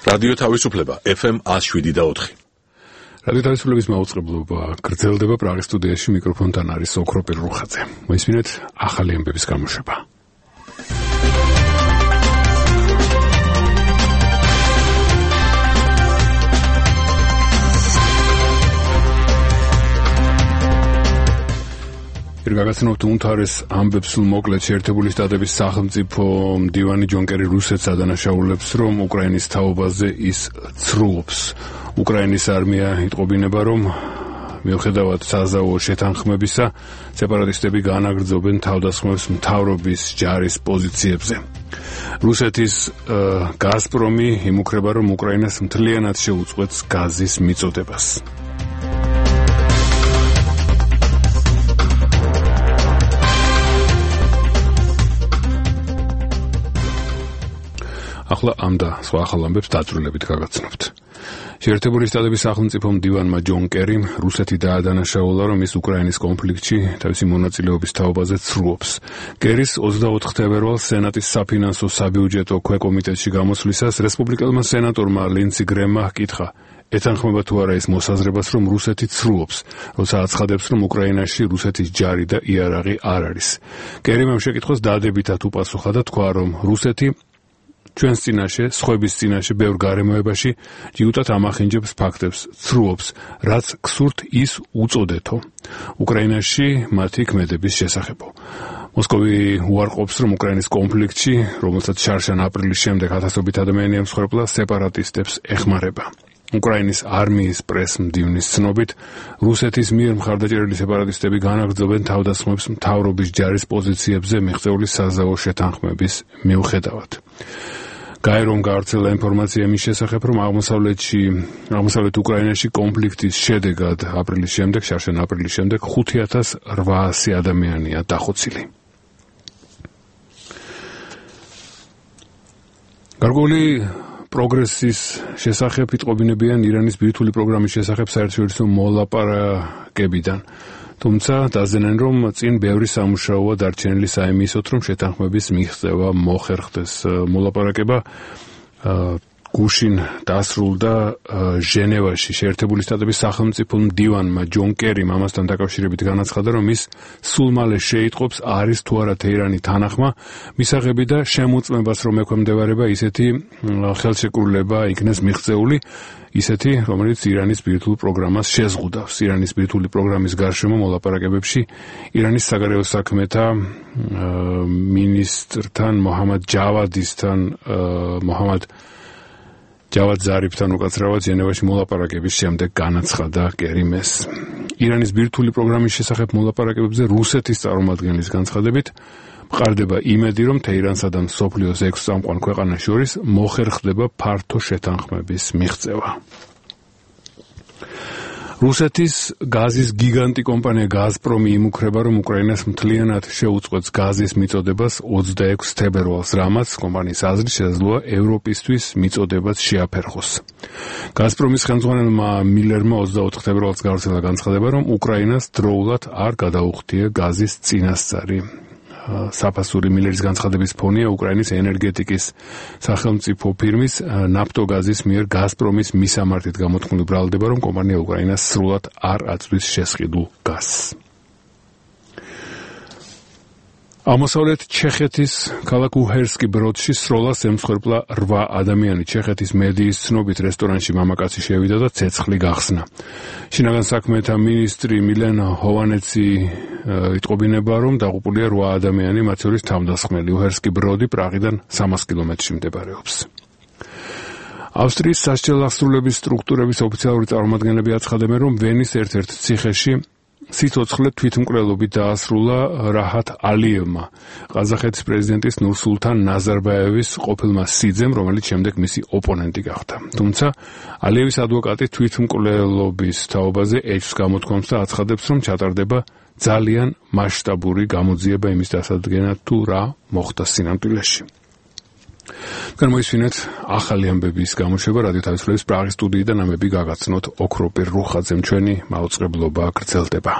რადიო თავისუფლება FM 107.4. რადიო თავისუფლების მაუწყებლობა გრძელდება პრაღის სტუდიაში, მიკროფონთან არის ოქრო პირრუხაძე. მოისმინეთ ახალი ამბების გამოშვება. გაგაცნობთ უმთავრეს ამბებს მოკლედ შეერთებული შტატების სახელმწიფო მდივანი ჯონ კერი რუსეთს ადანაშაულებს, რომ უკრაინის თაობაზე ის ცრუობს. უკრაინის არმია იტყობინება, რომ მიუხედავად საზავო შეთანხმებისა, სეპარატისტები განაგრძობენ თავდასხმებს მთავრობის ჯარის პოზიციებზე. რუსეთის გაზპრომი იმუქრება, რომ უკრაინას მთლიანად შეუწყვეტს გაზის მიწოდებას. ახლა ამ და სხვა ახალ ამბებს დაწვრილებით გაგაცნობთ. შეერთებული შტატების სახელმწიფო მდივანმა ჯონ კერიმ რუსეთი დაადანაშაულა, რომ ის უკრაინის კონფლიქტში თავისი მონაწილეობის თაობაზე ცრუობს. კერის 24 თებერვალს სენატის საფინანსო საბიუჯეტო ქვეკომიტეტში გამოსვლისას რესპუბლიკელმა სენატორმა ლინდსი გრემმა ჰკითხა, ეთანხმება თუ არა ის მოსაზრებას, რომ რუსეთი ცრუობს, როცა აცხადებს, რომ უკრაინაში რუსეთის ჯარი და იარაღი არ არის. კერიმ ამ შეკითხვას დადებითად უპასუხა და თქვა, რომ რუსეთი ჩვენს წინაშე, სხვების წინაშე ბევრ გარემოებაში ჯიუტად ამახინჯებს ფაქტებს, ცრუობს, რაც გსურთ ის უწოდეთო. უკრაინაში მათი ქმედების შესახებო. მოსკოვი უარყოფს, რომ უკრაინის კონფლიქტში, რომელსაც შარშან აპრილის შემდეგ ათასობით ადამიანი ემსხვერპლა, სეპარატისტებს ეხმარება. უკრაინის არმიის პრეს-მდივნის ცნობით, რუსეთის მიერ მხარდაჭერილი სეპარატისტები განაგრძობენ თავდასხმებს მთავრობის ჯარის პოზიციებზე მიღწეული საზავო შეთანხმების მიუხედავად. გაერომ გავრცელა ინფორმაცია იმის შესახებ, რომ აღმოსავლეთ უკრაინაში კონფლიქტის შედეგად შარშან აპრილის შემდეგ 5800 ადამიანია დახოცილი. გარკვეული პროგრესის შესახებ იტყობინებიან ირანის ბირთვული პროგრამის შესახებ საერთაშორისო მოლაპარაკებიდან. თუმცა დაზიანენ, რომ წინ ბევრი სამუშაოა დარჩენილი საიმისოთ, რომ შეთანხმების მიღწევა მოხერხდეს. მოლაპარაკება გუშინ დასრულდა ჟენევაში. შეერთებული შტატების სახელმწიფო მდივანმა ჯონ კერიმ ამასთან დაკავშირებით განაცხადა, რომ ის სულ მალე შეიტყობს, არის თუ არა თეირანი თანახმა მისაღები და შემოწმებას, რომ ექვემდებარება ისეთი ხელშეკრულება იქნეს მიღწეული, ისეთი, რომელიც ირანის ბირთვულ პროგრამას შეზღუდავს. ირანის ბირთვული პროგრამის გარშემო მოლაპარაკებებში ირანის საგარეო საქმეთა მინისტრთან მოჰამად ჯავად ზარიფთან უკაცრავად ჟენევაში მოლაპარაკების შემდეგ განაცხადა კერიმ ეს. ირანის ბირთვული პროგრამის შესახებ მოლაპარაკებებზე რუსეთის წარმომადგენლის განცხადებით მყარდება იმედი, რომ თეირანსა და მსოფლიოს 6 წამყვან ქვეყანას შორის მოხერხდება ფართო შეთანხმების მიღწევა. რუსეთის გაზის გიგანტი კომპანია გაზპრომი იმუქრება, რომ უკრაინას მთლიანად შეუწყვეტს გაზის მიწოდებას 26 თებერვალს, რამაც კომპანიის აზრით შესაძლოა ევროპისთვის მიწოდებაც შეაფერხოს. გაზპრომის ხელმძღვანელმა მილერმა 24 თებერვალს გავრცელა განცხადება, რომ უკრაინას დროულად არ გადაუხდია გაზის წინასწარი. საფასური მილერის განცხადების ფონია უკრაინის ენერგეტიკის სახელმწიფო ფირმის ნაფტოგაზის მიერ გაზპრომის მისამართით გამოთქმული ბრალდება, რომ კომპანია უკრაინას სრულად არ აწვდის შესყიდულ გაზს. აღმოსავლეთ ჩეხეთის ქალაქ უჰერსკი ბროდში სროლას ემსხვერპლა 8 ადამიანი. ჩეხეთის მედიის ცნობით რესტორანში მამაკაცი შევიდა და ცეცხლი გახსნა. შინაგან საქმეთა მინისტრი მილენ ჰოვანეცი იტყობინება, რომ დაღუპულია 8 ადამიანი, მათ შორის თავდასხმელი. უჰერსკი ბროდი პრაღიდან 300 კილომეტრში მდებარეობს. ავსტრიის სასჯელ აღსრულების სტრუქტურების ოფიციალური წარმომადგენლები აცხადებენ, რომ ვენის ერთ-ერთ ციხეში სიცოცხლე თვითმკვლელობით დაასრულა რაჰათ ალიევმა, ყაზახეთის პრეზიდენტის ნურსულთან ნაზარბაევის ყოფილმა სიძემ, რომელიც შემდეგ მისი ოპონენტი გახდა. თუმცა ალიევის ადვოკატი თვითმკვლელობის თაობაზე ეჭვს გამოთქვამს და აცხადებს, რომ ჩატარდება ძალიან მასშტაბური გამოძიება იმის დასადგენად, თუ რა მოხდა სინამდვილეში. გამოისმინეთ ახალი ამბების გამოშვება რადიო თავისუფლების პრაღის სტუდიიდან ამბები გაგაცნოთ ოქრო პირრუხაძემ. ჩვენი მაუწყებლობა გრძელდება.